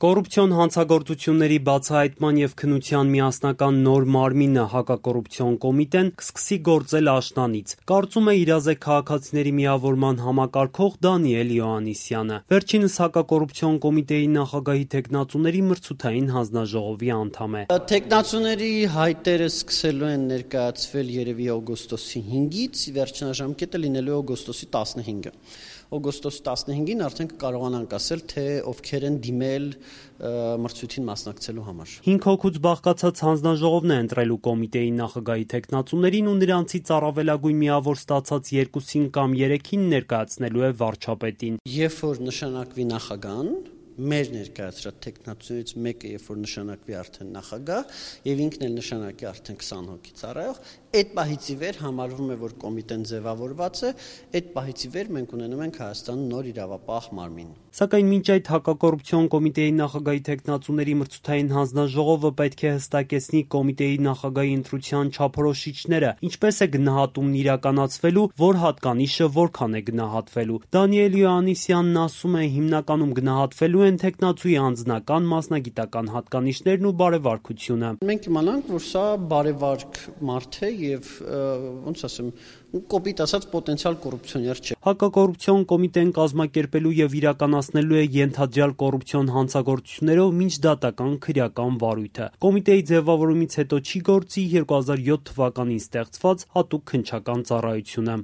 Կոռուպցիոն հանցագործությունների բացահայտման և քննության միասնական նոր մարմինը հակակոռուպցիոն կոմիտեն կսկսի գործել աշնանից, կարծում է իրազեկ քաղաքացիների միավորման համակարգող Դանիել Յոհաննիսյանը, վերջինս հակակոռուպցիոն կոմիտեի նախագահի թեկնածուների մրցութային հանձնաժողովի անդամ է։ Թեկնածուների հայտերը սկսելու են ներկայացվել երևի օգոստոսի 5-ից, վերջնաժամկետը լինելու է օգոստոսի 15-ը։ Օգոստոսի 15-ին արդեն կկարողանանք ասել, թե ովքեր են դիմել մրցույթին մասնակցելու համար։ 5 հոգուց բաղկացած հանձնաժողովն է ընտրելու կոմիտեի նախագահի թեկնածուներին ու նրանցից առավելագույն միավոր ստացած 2-ին կամ 3-ին ներկայացնելու է վարչապետին։ Երբ որ նշանակվի նախագահան, մեր ներկայացրած թեկնածուներից մեկը, երբ որ նշանակվի արդեն նախագահ եւ ինքն էլ նշանակի արդեն 20 հոգի ծառայող, այդ պահից ի վեր համարվում է, որ կոմիտեն ձևավորված է, այդ պահից ի վեր մենք ունենում ենք Հայաստանում նոր իրավապահ մարմին։ Սակայն մինչ այդ հակակոռուպցիոն կոմիտեի նախագահի թեկնածուների մրցութային հանձնաժողովը պետք է հստակեցնի կոմիտեի նախագահի ընտրության չափորոշիչները, ինչպես է գնահատումն իրականացվելու, որ հատկանիշը որքան է գնահատվելու։ Դանիել Յոհաննիսյանն ասում է, հիմնականում գնահատվելու են թեկնածուի անձնական, մասնագիտական հատկանիշներն ու բարեվարքությունը։ Մենք իմանանք, որ սա բարեվարք մարդ է եւ ոնց ասեմ, կոպիտ ասած պոտենցիալ կոռուպցիոներ չէ։ Հակակոռուպցիոն կոմիտեն կազմակերպելու եւ իրականացնելու է ենթադրյալ կոռուպցիոն հանցագործություններով միջդատական քրեական վարույթը։ Կոմիտեի ձևավորումից հետո չի գործի 2007 թվականին ստեղծված հատուկ քննչական ծառայությունը։